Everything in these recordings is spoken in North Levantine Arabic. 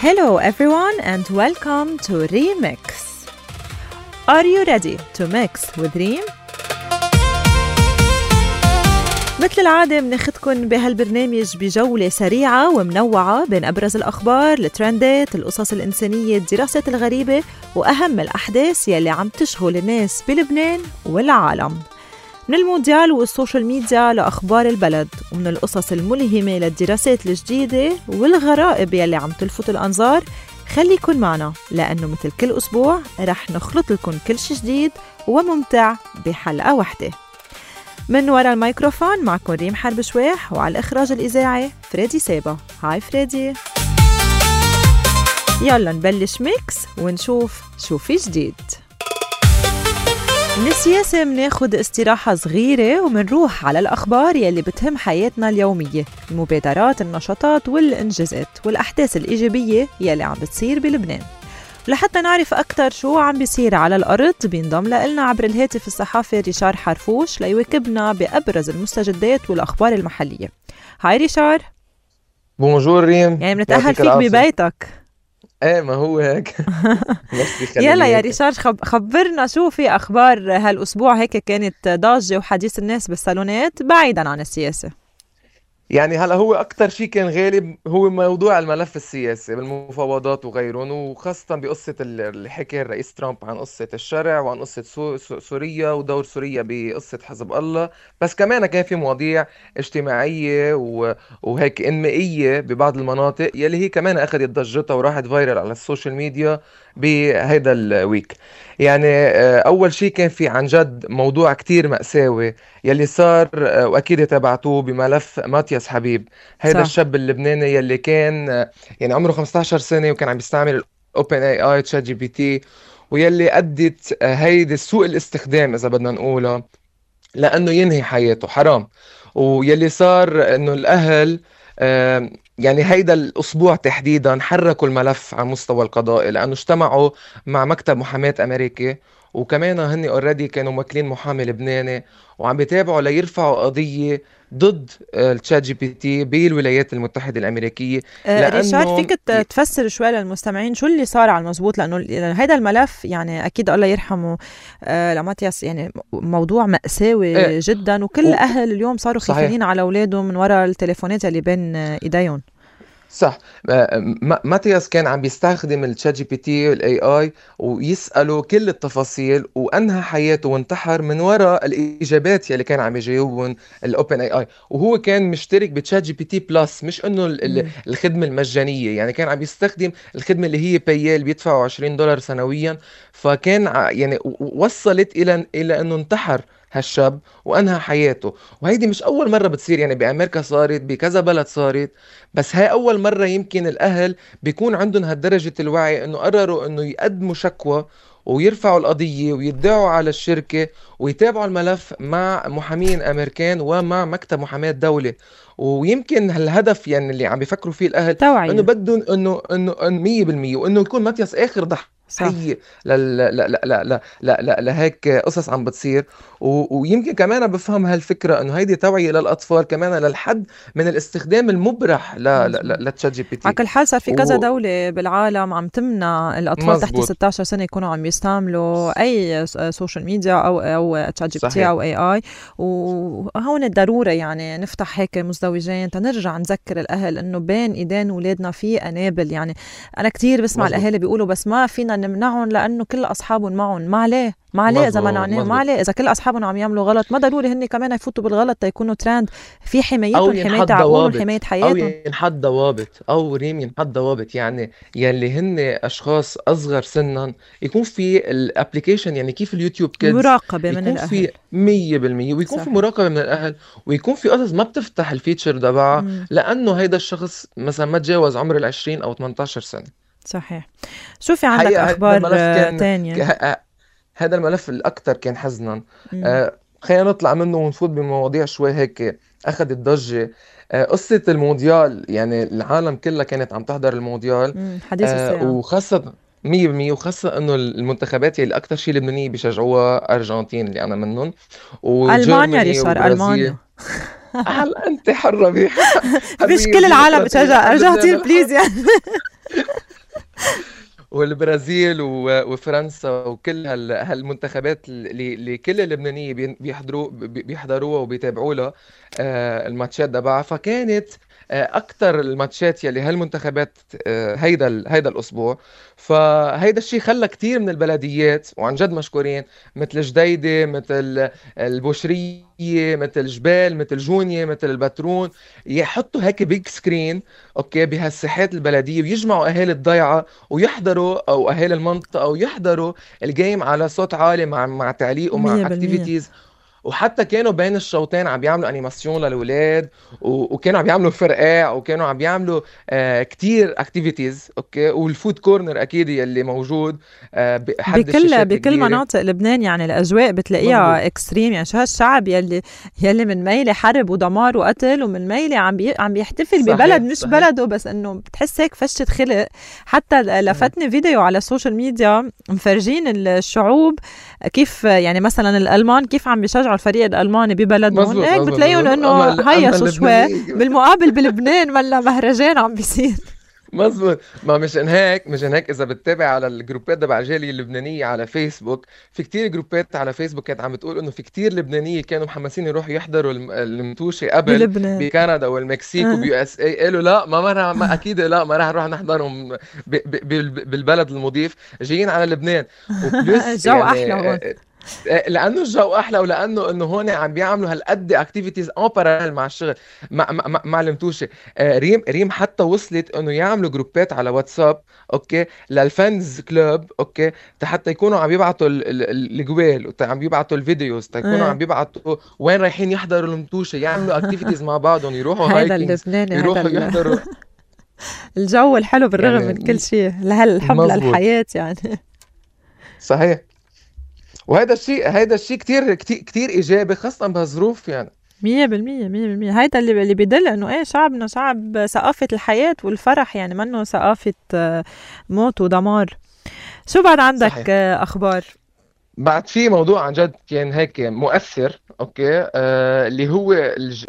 Hello everyone and welcome to Remix. Are you ready to mix with Reem? مثل العادة بناخدكن بهالبرنامج بجولة سريعة ومنوعة بين أبرز الأخبار، الترندات، القصص الإنسانية، الدراسات الغريبة وأهم الأحداث يلي عم تشغل الناس بلبنان والعالم. من المونديال والسوشيال ميديا لأخبار البلد، ومن القصص الملهمة للدراسات الجديدة والغرائب يلي عم تلفت الأنظار. خليكن معنا لأنه مثل كل أسبوع رح نخلط لكم كل شي جديد وممتع بحلقة واحدة. من وراء الميكروفون معكم ريم حرب شويح، وعلى الإخراج الإذاعي فريدي سابا. هاي فريدي. يلا نبلش ميكس ونشوف شو في جديد. من السياسة مناخد استراحة صغيرة ومنروح على الأخبار يلي بتهم حياتنا اليومية، المبادرات، النشاطات والإنجازات والأحداث الإيجابية يلي عم بتصير بلبنان. لحتى نعرف أكتر شو عم بيصير على الأرض بينضم لنا عبر الهاتف الصحافي ريشار حرفوش ليواكبنا بأبرز المستجدات والأخبار المحلية. هاي ريشار. بونجور ريم. يعني بنتأهل فيك ببيتك. ايه ما هو هيك. يلا يا ريشار خبرنا شو في أخبار هالأسبوع. هيك كانت ضاجة وحديث الناس بالصالونات بعيدا عن السياسة. يعني هلا هو أكتر شيء كان غالب هو موضوع الملف السياسي بالمفاوضات وغيرهم، وخاصة بقصة اللي حكي الرئيس ترامب عن قصة الشرع وعن قصة سوريا ودور سوريا بقصة حزب الله. بس كمان كان في مواضيع اجتماعية وهيك إنمائية ببعض المناطق يلي هي كمان أخذت ضجتها وراحت فايرل على السوشيال ميديا بهيدا الويك. يعني أول شيء كان في عن جد موضوع كتير مأساوي يلي صار، وأكيد تابعتوه، بملف ماتياس حبيب. هيدا الشاب اللبناني يلي كان يعني عمره 15 سنة وكان عم بيستعمل OpenAI ChatGPT، ويلي أدت هيدي سوء الاستخدام إذا بدنا نقولها لأنه ينهي حياته. حرام. ويلي صار إنه الأهل يعني هيدا الأسبوع تحديدا حركوا الملف على مستوى القضاء لأنه اجتمعوا مع مكتب محاماة أمريكي، وكمان هني اوريدي كانوا موكلين محامي لبناني وعم بيتابعوا ليرفعوا قضية ضد الشات جي بي تي بالولايات المتحدة الأمريكية. ريشارد فيك تفسر شوي للمستمعين شو اللي صار على المزبوط؟ لأنه هيدا الملف يعني أكيد الله يرحمه لماتياس يعني موضوع مأساوي جدا، وكل أهل اليوم صاروا خايفين على أولادهم من وراء التليفونات اللي بين إيديهم. صح. ماتياس كان عم بيستخدم الشات جي بي تي والاي اي ويسأله كل التفاصيل، وانهى حياته وانتحر من وراء الاجابات يلي كان عم يجاوبهم الاوبن اي اي. وهو كان مشترك بتشات جي بي تي بلس، مش انه الخدمه المجانيه، يعني كان عم يستخدم الخدمه اللي هي بايال بيدفعوا $20 سنويا. فكان يعني وصلت الى انه انتحر هالشاب وانهى حياته. وهيدي مش اول مره بتصير، يعني بامريكا صارت، بكذا بلد صارت، بس هاي اول مره يمكن الاهل بيكون عندهم هالدرجه الوعي انه قرروا انه يقدموا شكوى ويرفعوا القضيه ويدعوا على الشركه ويتابعوا الملف مع محامين امريكان ومع مكتب محاماه دولة. ويمكن هالهدف يعني اللي عم بيفكروا فيه الاهل توعية. انه بدهم انه 100% وانه يكون ماتياس اخر ضحيه لهيك قصص عم بتصير. ويمكن كمان بفهم هالفكره انه هيدي توعيه للاطفال كمان للحد من الاستخدام المبرح للتشات جي بي تي. على كل حال صار في كذا دوله بالعالم عم تمنع الاطفال مزبوط. تحت 16 سنه يكونوا عم يستعملوا اي سوشيال ميديا او تشات جي بي تي او اي اي. وهون الضروره يعني نفتح هيك مزدوجين تنرجع نذكر الاهل انه بين ايدين اولادنا في انابل. يعني انا كتير بسمع مزبوط. الاهالي بيقولوا بس ما فينا نمنعهم لانه كل اصحابهم معهم. ما عليه اذا منعناه، ما عليه اذا كل اصحابهم عم يعملوا غلط، ما ضروري هن كمان يفوتوا بالغلط تيكونوا ترند. في حمايتهم، حمايه عقولهم، حمايه حياتهم، او ينحط ضوابط، او ريم ينحط ضوابط. يعني يلي هن اشخاص اصغر سنا يكون في الابليكيشن، يعني كيف اليوتيوب كيدز مراقبه من الاهل في 100%، ويكون صحيح. في مراقبه من الاهل، ويكون في قصص ما بتفتح الفيتشر تبعها لانه هيدا الشخص مثلا ما تجاوز عمر 20 أو 18 سنة. صحيح. شو في عندك اخبار تانية؟ هذا الملف الأكثر كان حزنا. خلينا نطلع منه ونفوت بمواضيع شوي هيك أخذت ضجة. قصة المونديال، يعني العالم كلها كانت عم تحضر المونديال، حديث الساعة. وخاصة 100%، وخاصة إنه المنتخبات اللي أكثر شيء اللبنانية بيشجعوها أرجنتين اللي أنا منهم، ألمانيا ريشار، ألمانيا. هل أنت حرة مش كل العالم بتشجع أرجنتين بليز يعني. والبرازيل وفرنسا وكل هالمنتخبات اللي كل اللبنانية بيحضروها وبيتابعوا لها الماتشات تبعها. فكانت اكثر الماتشات يلي هالمنتخبات هيدا الاسبوع. فهيدا الشيء خلى كتير من البلديات وعن جد مشكورين، مثل جديدة، مثل البوشرية، مثل جبال، مثل جونية، مثل البترون، يحطوا هيك بيج سكرين اوكي بهالساحات البلدية ويجمعوا اهالي الضيعة ويحضروا، او اهالي المنطقة ويحضروا الجيم على صوت عالي مع تعليق ومع 100%. اكتيفيتيز. وحتى كانوا بين الشوطين عم بيعملوا انيماسيون للأولاد، وكانوا عم بيعملوا فرقاع، وكانوا عم بيعملوا كتير اكتيفيتيز اوكي. والفود كورنر اكيد يلي موجود حد الشاشات بكل الكبيرة. مناطق لبنان يعني الاجواء بتلاقيها مظبوط. اكستريم. يعني شو هالشعب يلي من ميلة حرب ودمار وقتل، ومن ميلة عم بيحتفل صحيح، ببلد مش صحيح. بلده، بس انه بتحس هيك فشة خلق. حتى لفتني فيديو على السوشيال ميديا مفرجين الشعوب كيف يعني مثلا الالمان كيف عم بيشجعوا الفريق الالماني ببلدهم. مظبوط، هيك مظبوط، بتلاقيهم مظبوط. انه هيا أما شو شوي، اللبنانية بالمقابل بلبنان ملا مهرجان عم بيصير. مظبوط. ما مشان هيك اذا بتتابع على الجروبات تبع الجاليه اللبنانيه على فيسبوك، في كتير جروبات على فيسبوك كانت عم بتقول انه في كتير لبنانيه كانوا محمسين يروحوا يحضروا المنتوشه قبل بلبنان بكندا والمكسيك وبيو اس اي. قالوا لا، ما اكيد لا، ما راح نروح نحضرهم بالبلد المضيف، جايين على لبنان. وبلس الجو يعني احلى هون. لانه الجو احلى، ولانه انه هون عم بيعملوا هالقد اكتيفيتيز اون باراليل مع الشغل مع المتوشه. ريم حتى وصلت انه يعملوا جروبات على واتساب اوكي للفانز كلوب اوكي، حتى يكونوا عم يبعتوا الجوال، عم يبعتوا الفيديوز، يكونوا عم يبعتوا وين رايحين يحضروا المتوشه، يعملوا اكتيفيتيز مع بعضهم، يروحوا هيدا هايكينجز، اللبناني، يروحوا هيدا يحضروا الجو الحلو بالرغم من يعني. كل شيء، لهالحب مظبوط، للحياة يعني. صحيح. هيدا الشيء كتير كتير كتير ايجابي، خاصه بهالظروف يعني. 100%. هيدا اللي بيدل انه ايه شعبنا شعب ثقافة الحياة والفرح، يعني منه ثقافة موت ودمار. شو بعد عندك صحيح. اخبار؟ بعد في موضوع عن جد كان هيك مؤثر اوكي، اللي هو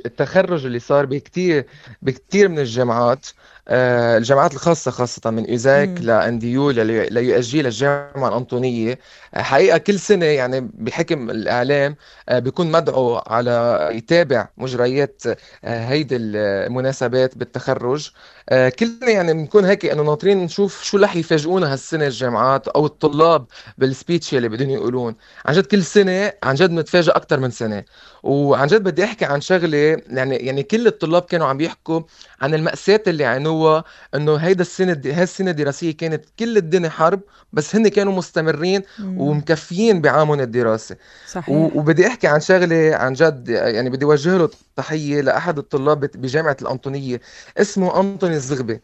التخرج اللي صار بكتير من الجامعات، الجامعات الخاصة، خاصة من إيزاك لأنديول ليو اس جي للجامعة الأنطونية. حقيقة كل سنة يعني بحكم الإعلام بيكون مدعو على يتابع مجريات هيدي المناسبات بالتخرج. كلنا يعني بنكون هيك انه ناطرين نشوف شو رح يفاجئونا هالسنة الجامعات او الطلاب بالسبيتش اللي بدهم يقولون. عن جد كل سنة عن جد نتفاجئ اكثر من سنة. وعن جد بدي احكي عن شغلة، يعني كل الطلاب كانوا عم بيحكوا عن المأساة اللي عانوها، انه هاي السنة الدراسية كانت كل الدنيا حرب، بس هن كانوا مستمرين ومكفيين بعامهم الدراسي. صحيح. وبدي احكي عن شغلة عن جد، يعني بدي اوجه له تحية لأحد الطلاب بجامعة الأنطونية، اسمه أنطوني الزغبي.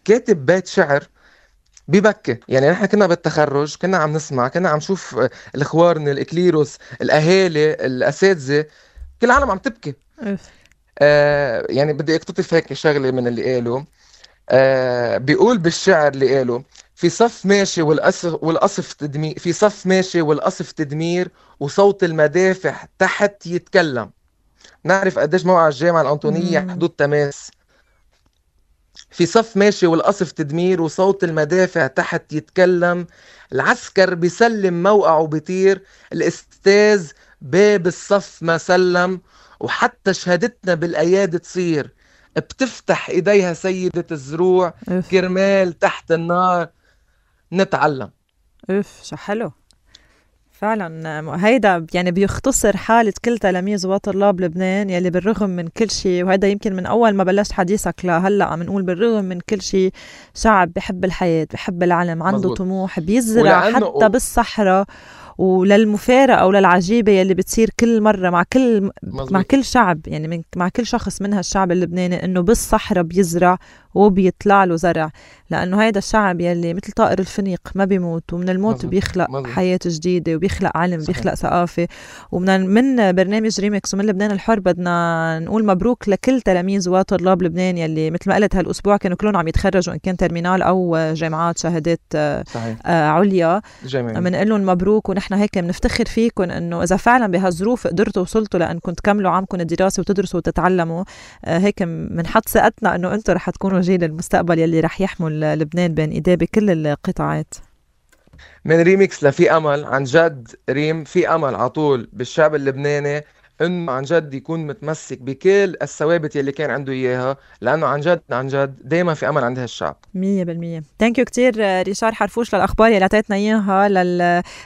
كاتب بيت شعر ببكي. يعني نحن كنا بالتخرج كنا عم نسمع، كنا عم نشوف الإخوارن، الإكليروس، الأهالي، الأساتذة، كل العالم عم تبكي. يعني بدي اقتطف هيك شغلة من اللي قاله. بيقول بالشعر اللي قاله: في صف ماشي والقصف تدمير، في صف ماشي والقصف تدمير، وصوت المدافع تحت يتكلم. نعرف قديش موقع الجامعة الأنطونية حدود تماس. في صف ماشي والقصف تدمير، وصوت المدافع تحت يتكلم. العسكر بيسلم موقعه بيطير، الأستاذ باب الصف ما سلم. وحتى شهادتنا بالأيادي تصير، بتفتح إيديها سيدة الزروع، كرمال تحت النار نتعلم. شو حلو فعلا. هيدا يعني بيختصر حالة كل تلاميذ وطلاب لبنان يلي بالرغم من كل شيء، وهيدا يمكن من أول ما بلشت حديثك لهلأ عم نقول بالرغم من كل شيء شعب بحب الحياة، بحب العلم، عنده مظبوط. طموح، بيزرع حتى بالصحراء وللمفارقة أو للعجيبة يلي بتصير كل مرة مع كل شعب، يعني مع كل شخص من هالشعب اللبناني، إنه بالصحراء بيزرع وبيطلع له زرع، لأنه هيدا الشعب يلي مثل طائر الفنيق ما بيموت، ومن الموت مظبوط. بيخلق مظبوط. حياة جديدة، وبيخلق علم، صحيح. بيخلق ثقافة. ومن برنامج ريمكس ومن لبنان الحر بدنا نقول مبروك لكل تلاميذ وطلاب لبنان يلي مثل ما قلت هالأسبوع كانوا كلهم عم يتخرجوا، إن كان ترمينال أو جامعات شهادات عليا. بنقول لهم مبروك، ونحن هيك بنفتخر فيكم إنه إذا فعلا بهالظروف قدرتوا وصلتوا لأنكم تكملوا عامكم الدراسة وتدرسوا وتتعلموا، هيك بنحط ثقتنا إنه أنتم رح تكونوا جيل المستقبل يلي رح يحمل لبنان بين ايديه بكل القطاعات. من ريميكس لفي امل، عن جد ريم في امل عطول بالشعب اللبناني انه عن جد يكون متمسك بكل الثوابت يلي كان عنده اياها، لانه عن جد دايما في امل عند هالشعب. 100%. ثانك يو كتير ريشار حرفوش للاخبار يلي اعطيتنا اياها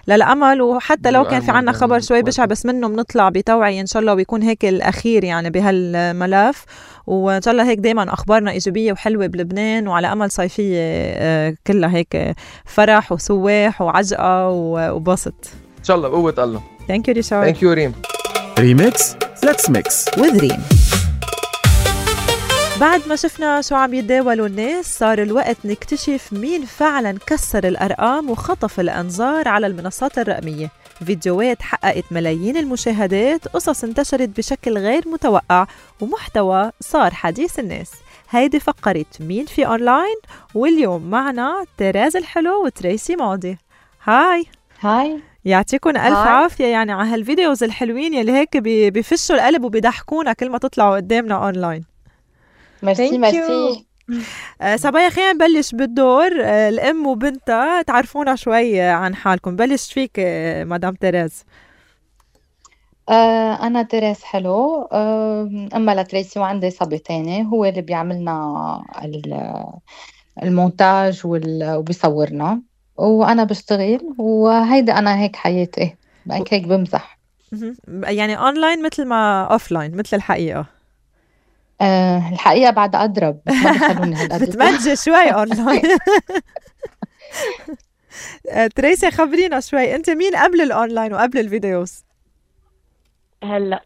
للامل، وحتى لو كان في عنا خبر شوي بشع بس منه بنطلع بتوعية ان شاء الله، ويكون هيك الاخير يعني بهالملف، وان شاء الله هيك دايما اخبارنا ايجابيه وحلوه بلبنان، وعلى امل صيفيه كلها هيك فرح وسواح وعجقه وبسط ان شاء الله بقوه الله. ثانك يو ريشار. ثانك يو ريم. ريميكس ليتس ميكس وذ ريم. بعد ما شفنا شو عم يتداولوا الناس، صار الوقت نكتشف مين فعلا كسر الأرقام وخطف الأنظار على المنصات الرقمية. فيديوهات حققت ملايين المشاهدات، قصص انتشرت بشكل غير متوقع، ومحتوى صار حديث الناس. هيدي فقرة مين في أونلاين، واليوم معنا تيراز الحلو وتريسي ماضي. هاي يعطيكم ألف عافية يعني على هالفيديوز الحلوين يلي هيك بيفشوا القلب وبيضحكونا كل ما تطلعوا قدامنا أونلاين. ميرسي. صبايا خلينا نبلش بالدور. الأم وبنتها تعرفونا شوي عن حالكم. بلش فيك مدام تيراز. أنا تيراز حلو، أما لتريسي، وعندي صبي تاني هو اللي بيعملنا المونتاج وبيصورنا، وأنا بشتغل، وهيدا أنا هيك حياتي، هيك بمزح. يعني أونلاين مثل ما أوفلاين مثل الحقيقة؟ الحقيقة بعد أضرب، بس ما بيخلوني هالقد. بتمنجي شوي أونلاين. تريسي خبرينا شوي، أنت مين قبل الأونلاين وقبل الفيديوز؟ هلا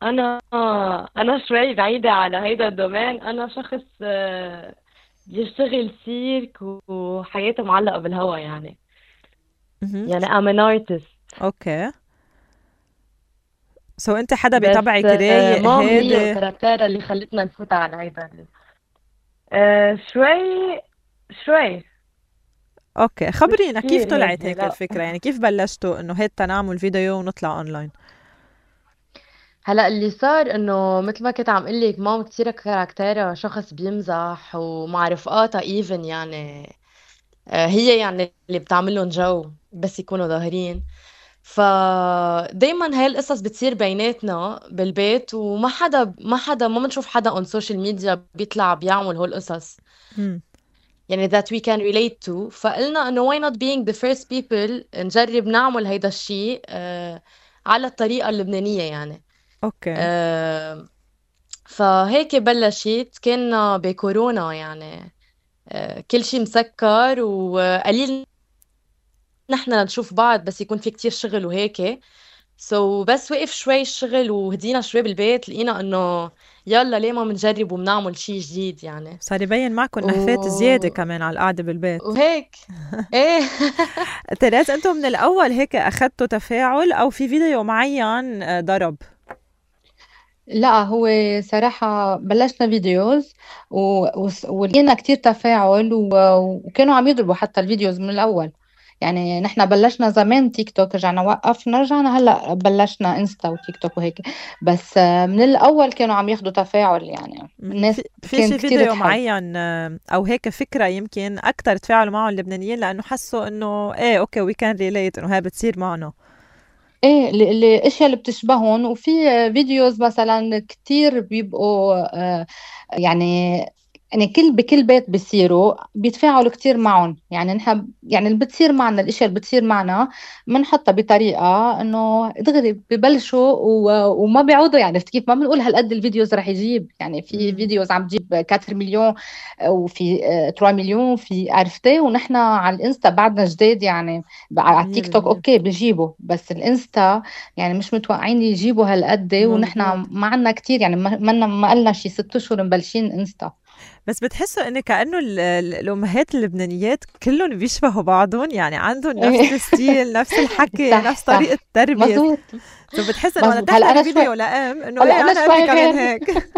انا شوي بعيده على هيدا الدومين. انا شخص بيشتغل سيرك وحياته معلقه بالهوا يعني I'm an artist. اوكي. سو انت حدا بيتابعك رايق مام هي هادي؟ الكاركتيرة اللي خلتنا نفوت على هيدا شوي. اوكي، خبرينا كيف كتير طلعت هيك، هيك لا. الفكرة، يعني كيف بلشتوا انه هيك نعمل فيديو ونطلع اونلاين؟ هلا اللي صار انه مثل ما كنت عم قول لك، مام كثير كاركتيرها شخص بيمزح ومع رفقاتها ايفن يعني هي يعني اللي بتعمل لهم جو بس يكونوا ظاهرين. فدايما هاي القصص بتصير بيناتنا بالبيت، ما بنشوف حدا اون سوشيال ميديا بيطلع بيعمل هول القصص يعني that we can relate to. فقلنا انه why not being the first people نجرب نعمل هيدا الشيء على الطريقة اللبنانية يعني. اوكي. فهيك بلشت. كنا بكورونا يعني كل شيء مسكر وقليل نحن نشوف بعض، بس يكون في كتير شغل وهيك. بس وقف شوي الشغل وهدينا شوي بالبيت، لقينا انه يلا ليه ما بنجرب وبنعمل شيء جديد يعني. صار يبين معكم نهفات زيادة كمان على القعدة بالبيت وهيك. ايه. تيراز، انتم من الاول هيك اخذتوا تفاعل او في فيديو معين ضرب؟ لا، هو صراحة بلشنا فيديوز ولقينا كتير تفاعل وكانوا عم يضربوا حتى الفيديوز من الأول. يعني نحن بلشنا زمان تيك توك، رجعنا وقفنا، رجعنا هلأ بلشنا انستا وتيك توك وهيك، بس من الأول كانوا عم ياخدوا تفاعل. يعني الناس في كانت شي كتير فيديو تحب. معين او هيك فكرة يمكن اكتر تفاعلوا معه اللبنانيين لانه حسوا انه ايه اوكي وي كان ريليت انه هاي بتصير معنا؟ ايه، الاشياء اللي بتشبههم. وفي فيديوز مثلا كتير بيبقوا يعني بكل بيت بيصيروا بيتفاعلوا كتير معهم. يعني نحن يعني اللي بتصير معنا، الاشياء اللي بتصير معنا بنحطها بطريقه انه دغري ببلشوا وما بيعودوا. يعني كيف ما بنقول هالقد الفيديوز رح يجيب. يعني في فيديوز عم تجيب 4 مليون وفي 3 مليون، في عرفتي. ونحن على الانستا بعدنا جديد يعني. على التيك توك اوكي بيجيبوا، بس الانستا يعني مش متوقعين يجيبوا هالقد. ونحن ما عنا كتير يعني، ما قلنا شي 6 اشهر مبلشين انستا. بس بتحسوا إن كأنه الأمهات اللبنانيات كلهم بيشبهوا بعضهم، يعني عندهم نفس الستيل، نفس الحكي، نفس طريقة التربية. مظبوط. بتحس إنه أنا تعمل فيديو لأم إنه إيه أنا شوي كمان هيك.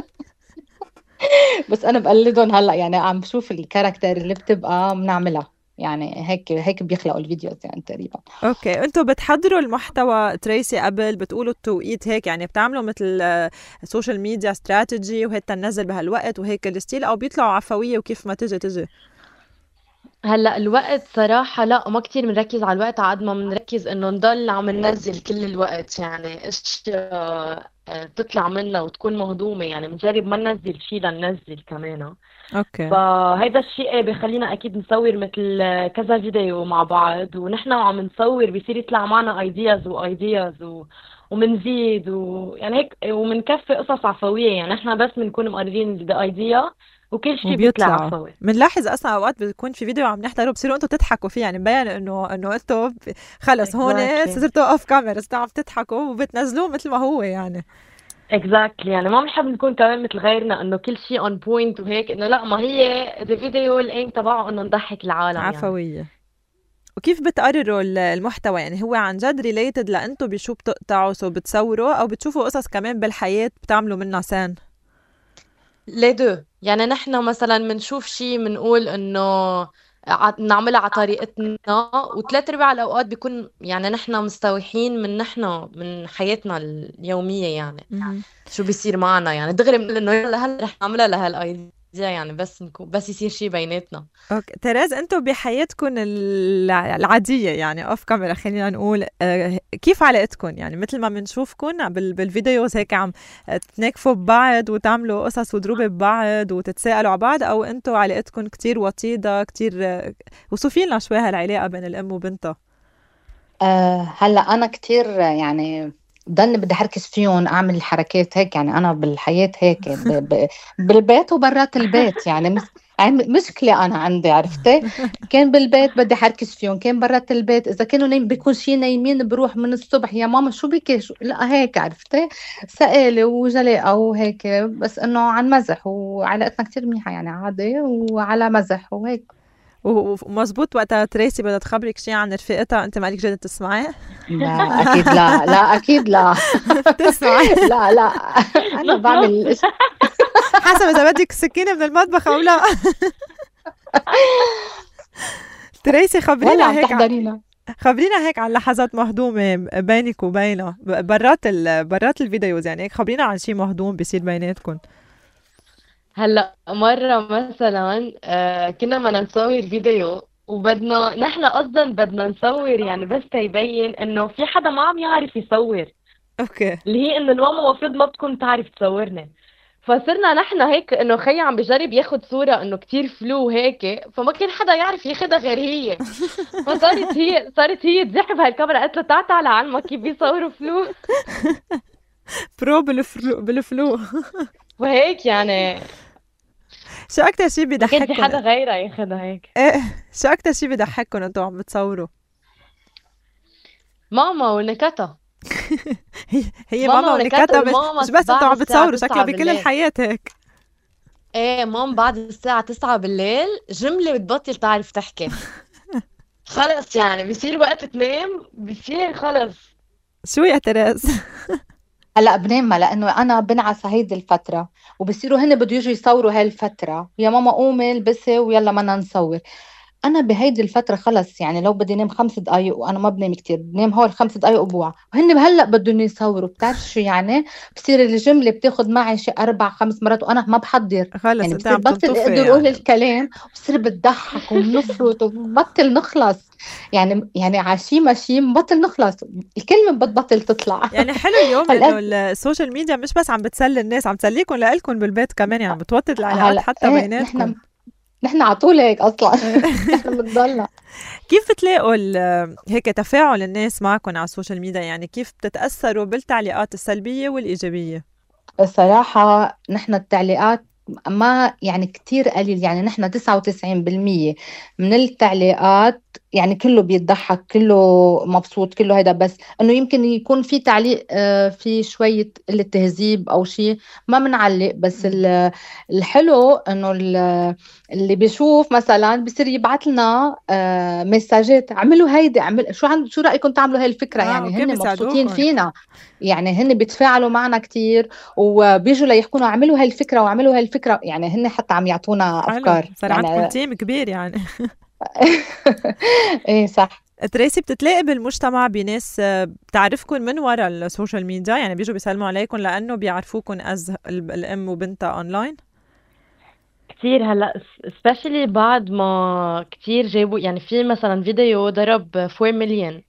بس أنا بقلدهم هلا، يعني عم بشوف الكاركتر اللي بتبقى بنعملها. يعني هيك بيخلقوا الفيديوز يعني تقريبا. اوكي، انتوا بتحضروا المحتوى تريسي قبل بتقولوا التوقيت هيك، يعني بتعملوا مثل سوشيال ميديا استراتيجي وهيك تنزل بهالوقت وهيك الستيل، او بيطلعوا عفوية وكيف ما تجي؟ هلا الوقت صراحة لا، ما كتير بنركز على الوقت، عاد ما بنركز انه نضل عم ننزل كل الوقت، يعني اشياء تطلع منا وتكون مهضومة، يعني بنجرب ما ننزل شيء لننزل كمان. اوكي. فهيدا الشيء بخلينا اكيد نصور مثل كذا فيديو مع بعض، ونحن وعم نصور بيصير يطلع معنا ايدياز ومنزيد يعني هيك، ومنكفي قصص عفوية، يعني احنا بس بنكون مقررين الايديا وكل شيء بيطلع وبيطلعوا عفوي. بنلاحظ اصلا اوقات بيكون في فيديو عم نحضره بصيروا انتوا تضحكوا فيه، يعني مبين انه انتوا خلص هون Exactly. صرتوا اوف كاميرا، صرتوا عم تضحكوا وبتنزلوه مثل ما هو يعني. exactly، يعني ما بنحب نكون كمان مثل غيرنا انه كل شيء on point وهيك، انه لا، ما هي الفيديو الايم تبعه انه نضحك العالم يعني. عفوية. وكيف بتقرروا المحتوى؟ يعني هو عن جد ريليتد لانتوا بشو بتقطعوا سو بتصوروا، او بتشوفوا قصص كمان بالحياة بتعملوا منها سان؟ لي دو، يعني نحن مثلا بنشوف شيء بنقول انه نعملها على طريقتنا، وثلاث ارباع الاوقات بيكون يعني نحن مستوحين من حياتنا اليوميه، يعني شو بيصير معنا، يعني دغري بنقول انه يلا هلا رح نعملها لهالايديا، يعني بس يصير شيء بيناتنا. اوكي تيريز، انتوا بحياتكم العاديه يعني اوف كاميرا خلينا نقول، كيف علاقتكم؟ يعني مثل ما بنشوفكم بالفيديوز هيك عم تناكفوا ببعض وتعملوا قصص وضروب ببعض وتتساءلوا على بعض، او انتوا علاقتكم كتير وطيده كتير؟ وصفي لنا شوي هالعلاقه بين الام وبنتها. هلا انا كتير يعني ضلني بدي احركز فيهم، اعمل الحركات هيك، يعني انا بالحياه هيك بالبيت وبرات البيت، يعني مشكله انا عندي، عرفتي؟ كان بالبيت بدي احركز فيهم، كان برات البيت اذا كانوا بيكون شي نايمين بروح من الصبح يا ماما شو بك لا هيك، عرفتي؟ سائله وجلاءه وهيك، بس انه عن مزح، وعلاقتنا كتير منيحه يعني عادي وعلى مزح وهيك. ومزبوط وقتها تريسي بدها تخبرك شيء عن رفيقتها انت مالك جاي تسمعي؟ لا اكيد لا، لا اكيد لا. تسمعي؟ لا انا بعمل حسب اذا بدك سكينه من المطبخ او لا. تريسي خبرينا هيك خبرينا هيك عن لحظات مهضومه بينك وبينها برات الفيديوز، يعني هيك خبرينا عن شيء مهضوم بيصير بيناتكم. هلا مرة مثلا كنا بدنا نصور فيديو، نحن قصدا بدنا نصور يعني بس تيبين انه في حدا ما عم يعرف يصور، اوكي، اللي هي انه الماما المفروض ما بتكون تعرف تصورنا. فصرنا نحن هيك انه خي عم بجرب ياخد صورة انه كتير فلو هيك، فما كان حدا يعرف ياخدها غير هي. صارت هي تزحف هالكاميرا، قالت له تعال علمك كيف بيصوروا فلو. برو بالفلو. وهيك يعني شو اكتر شيء بيضحككم؟ كان في حدا غيرها ياخدها هيك. ايه، شو اكتر شيء بيضحككم انتوا عم بتصوروا؟ ماما ونكتها. هي ماما ونكتها، مش بس انتوا عم بتصوروا، شكلها بكل بالليل. الحياة هيك. ايه ماما بعد الساعة 9 بالليل جملة بتبطل تعرف تحكي. خلص يعني بيصير وقت تنام، بيصير خلص. شو يا تريز؟ هلا بنام، لانه انا بنعس هيدي الفتره، وبصيروا هن بده يجوا يصوروا هاي الفتره، يا ماما قومي البسي ويلا بدنا نصور. انا بهيدي الفتره خلص، يعني لو بدي نام 5 دقائق، وانا ما بنام كتير، بنام هول 5 دقائق وبوعى، وهن هلا بدهم يصوروا. بتعرف شو يعني؟ بصير الجمله بتاخد معي شي 4-5 مرات وانا ما بحضر، خلص يعني انت بصير عم بطل تنطفي اقدر اقول يعني. الكلام، وبصير بتضحك وبنفرط وبطل نخلص، يعني عشي ماشي بطل نخلص، الكلمه بتبطل تطلع. يعني حلو اليوم انه السوشيال ميديا مش بس عم بتسلي الناس، عم تسليكم لإلكم بالبيت كمان، يعني بتوطد العلاقات حتى بيناتكم. نحن على طول هيك اصلا. نحن بنضلنا. كيف بتلاقوا هيك تفاعل الناس معكم على السوشيال ميديا؟ يعني كيف بتتأثروا بالتعليقات السلبية والإيجابية؟ الصراحة نحن التعليقات ما يعني كتير قليل، يعني نحن 99% من التعليقات يعني كله بيتضحك، كله مبسوط، كله هيدا، بس انه يمكن يكون في تعليق في شوية قلة تهذيب او شيء ما بنعلق، بس الحلو انه اللي بيشوف مثلا بيصير يبعث لنا مساجات، اعملوا هيدي، شو رأيكم تعملوا هاي الفكرة؟ يعني هن مبسوطين فينا، يعني هن بيتفاعلوا معنا كتير، وبيجوا ليحكونا اعملوا هاي الفكرة واعملوا هاي الفكرة، يعني هن حتى عم يعطونا افكار. صار يعني عندكم تيم كبير يعني. ايه صح. تريسي، بتتلاقي بالمجتمع بناس بتعرفكم من وراء السوشيال ميديا، يعني بيجوا بيسلموا عليكم لأنه بيعرفوكم از الأم وبنتها أونلاين؟ كتير هلا especially بعد ما كتير جابوا، يعني في مثلا فيديو ضرب 4 مليون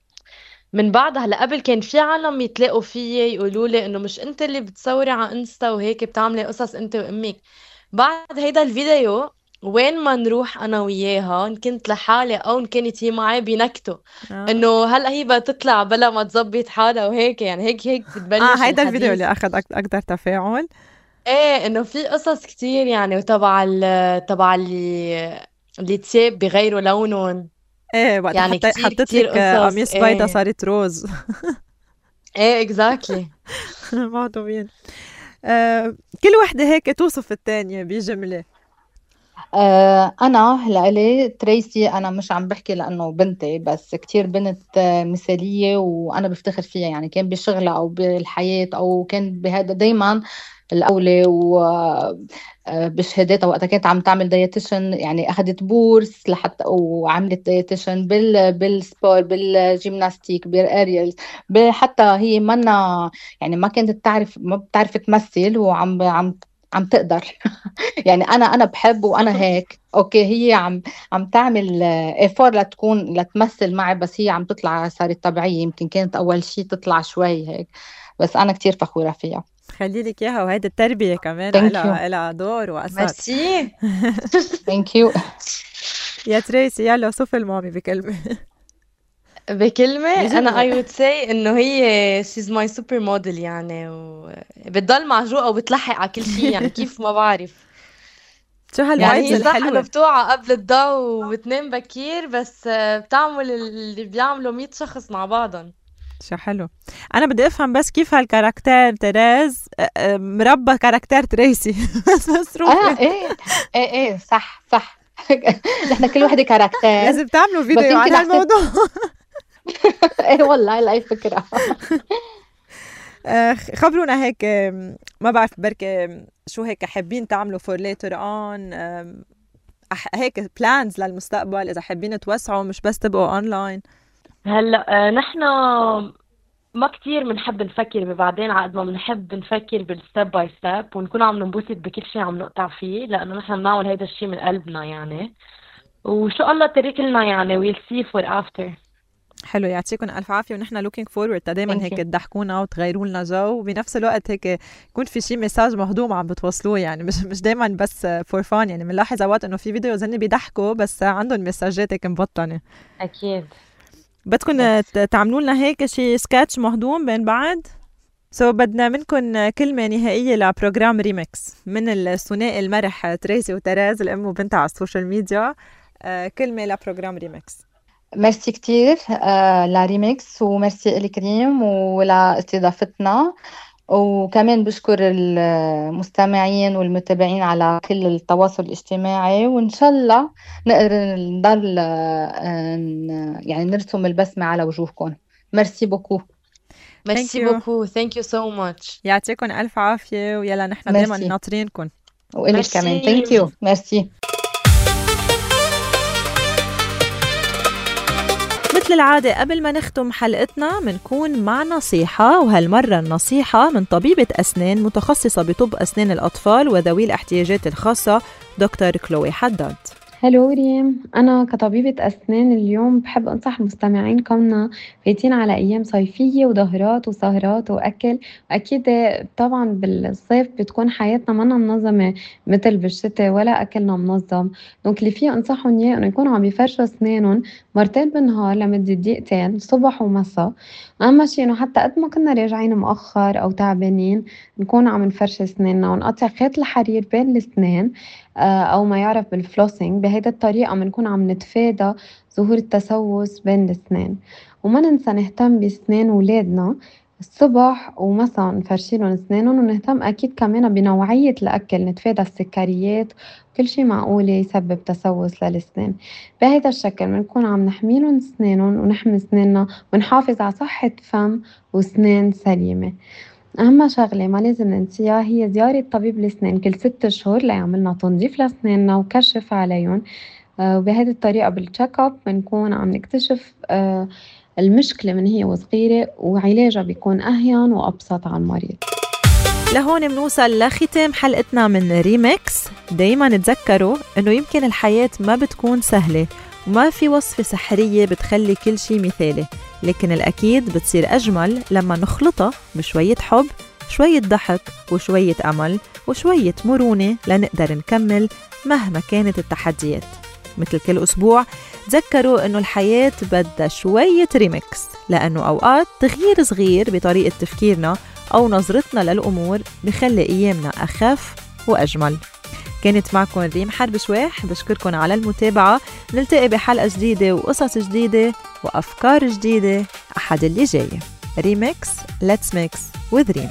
من بعدها. هلا قبل كان في عالم يتلاقوا فيي يقولوا لي انه مش انت اللي بتصوري على انستا وهيك بتعملي قصص انت وامك. بعد هيدا الفيديو وين ما نروح انا وياها، ان كنت لحالي او ان كانت هي معي، بينكتوا انه هلا هي بدها تطلع بلا ما تظبط حالها وهيك، يعني هيك بتبلش هيدا الفيديو الحديث. اللي أخذ أكتر تفاعل. ايه انه في قصص كتير يعني، وتبع تبع اللي تياب بغيروا لونهم. ايه وقت يعني كتير حطيت كتير لك قصص. قميص بيضة ايه صارت روز. ايه اكزاكتلي. مهضومين. كل وحدة هيك توصف التانية بجملة. أنا لإلي تريسي، أنا مش عم بحكي لأنه بنتي بس، كتير بنت مثالية وأنا بفتخر فيها، يعني كان بشغلها أو بالحياة أو كان بهذا دايما الأولى. وبشهاداتها وقتها كانت عم تعمل دايتيشن، يعني أخذت بورس لحتى وعملت دايتيشن بالسبور بالجيمناستيك بالأريلز. حتى هي منا يعني ما كانت تعرف، ما بتعرف تمثل عم تقدر. يعني انا بحب وانا هيك اوكي. هي عم تعمل ايفور لتمثل معي، بس هي عم تطلع صارت طبيعية. يمكن كانت اول شيء تطلع شوي هيك، بس انا كتير فخورة فيها. خلي لك اياها، وهيدا التربية كمان ثانك يو. لها دور وأثر. ميرسي. ثانك يو. يا تريسي يلا وصف المامي بكلمة. بكلمة أنا I بجملة. would say إنه هي she's my super model يعني، وبتضل معجوقة وبتلحق على كل شيء يعني كيف ما بعرف. شو يعني هالفايبز هي صح إنه الحلوة. بتوعى قبل الضوء وبتنام بكير، بس بتعمل اللي بيعملوا 100 شخص مع بعضهم. شو حلو. أنا بدي أفهم بس كيف هالكاركتير تيريز مربى كاركتير تريسي. بس مصروفة. ايه صح صح. نحن كل وحدة كاركتير. لازم تعملوا بس فيديو عن يمكن احسن. هالموضوع. ايه والله هاي فكرة. خبرونا هيك، ما بعرف بركي شو هيك حابين تعملوا for later on، هيك plans للمستقبل، إذا حابين توسعوا مش بس تبقوا online. هلا نحن ما كتير بنحب نفكر ببعدين، عقد ما بنحب نفكر بالستيب باي ستيب ونكون عم ننبسط بكل شيء عم نقطع فيه، لأنه نحن بنعمل هيدا الشيء من قلبنا يعني. وشو الله ترك لنا يعني we'll see for after. حلو، يعطيكم ألف عافية، ونحن looking forward دايما Thank هيك you. تضحكونا وتغيروا لنا جو، وبنفس الوقت هيك يكون في شيء مساج مهضوم عم بتوصلوه، يعني مش دايما بس فور فان. يعني بنلاحظ اوقات انه في فيديوز هن بيضحكوا بس عندهم مساجات هيك مبطنة. أكيد. بدكم تعملوا لنا هيك شيء سكتش مهضوم بين بعض. بدنا منكم كلمة نهائية لبروجرام ريمكس من الثنائي المرح تريسي وتراز، الأم وبنتها على السوشيال ميديا. كلمة لبروجرام ريمكس. ميرسي كتير لريميكس، وميرسي إلك ريم ولاستضافتنا. وكمان بشكر المستمعين والمتابعين على كل التواصل الاجتماعي، وإن شاء الله نقدر نضل يعني نرسم البسمة على وجوهكم. ميرسي بوكو. ميرسي you. بوكو. thank you so much. يعطيكم ألف عافية، ويلا نحن دايما ميرسي. ناطرينكم. وإلك كمان ثانك ميرسي. يو. ميرسي. مثل العادة قبل ما نختم حلقتنا منكون مع نصيحة، وهالمرة النصيحة من طبيبة أسنان متخصصة بطب أسنان الأطفال وذوي الاحتياجات الخاصة، دكتور كلوي حداد. هلو ريم، أنا كطبيبة أسنان اليوم بحب أنصح المستمعين كوننا فايتين على أيام صيفية وظهرات وسهرات وأكل. أكيد طبعا بالصيف بتكون حياتنا منا منظمة مثل بالشتاء، ولا أكلنا منظم. دونك اللي فيه أنصحهم إياه إنه يكونوا عم يفرشوا أسنانهم مرتين بالنهار لمدة دقيقتين صبح ومساء. أهم شيء إنه حتى قد ما كنا راجعين مؤخر أو تعبانين نكون عم نفرش أسناننا ونقطع خيط الحرير بين الأسنان، أو ما يعرف بالفلوسينج. بهيدا الطريقة بنكون عم نتفادى ظهور التسوس بين الأسنان. وما ننسى نهتم بأسنان ولادنا الصبح ومساء نفرشيلهم أسنانهم، ونهتم أكيد كمان بنوعية الأكل، نتفادى السكريات كل شي معقول يسبب تسوس للأسنان. بهيدا الشكل بنكون عم نحميلهم أسنانهم ونحمي أسناننا ونحافظ على صحة فم وأسنان سليمة. أهم شغلة ما لازم ننسيها هي زيارة طبيب الأسنان كل 6 شهور ليعملنا تنظيف لأسناننا وكشف عليهم. وبهذه الطريقة بالتشيك اب بنكون عم نكتشف المشكلة من هي وصغيرة، وعلاجها بيكون أهين وأبسط على المريض. لهون منوصل لختام حلقتنا من ريمكس. دايما تذكروا انه يمكن الحياة ما بتكون سهلة وما في وصفة سحرية بتخلي كل شي مثالي، لكن الأكيد بتصير أجمل لما نخلطها بشوية حب، شوية ضحك، وشوية أمل، وشوية مرونة لنقدر نكمل مهما كانت التحديات. مثل كل أسبوع تذكروا أنه الحياة بدها شوية ريمكس، لأنه أوقات تغيير صغير بطريقة تفكيرنا أو نظرتنا للأمور بخلي أيامنا أخف وأجمل. كانت معكم ريم حرب شواح، بشكركم على المتابعة. نلتقي بحلقة جديدة وقصص جديدة وأفكار جديدة أحد اللي جاي. ريمكس Let's Mix with ريم.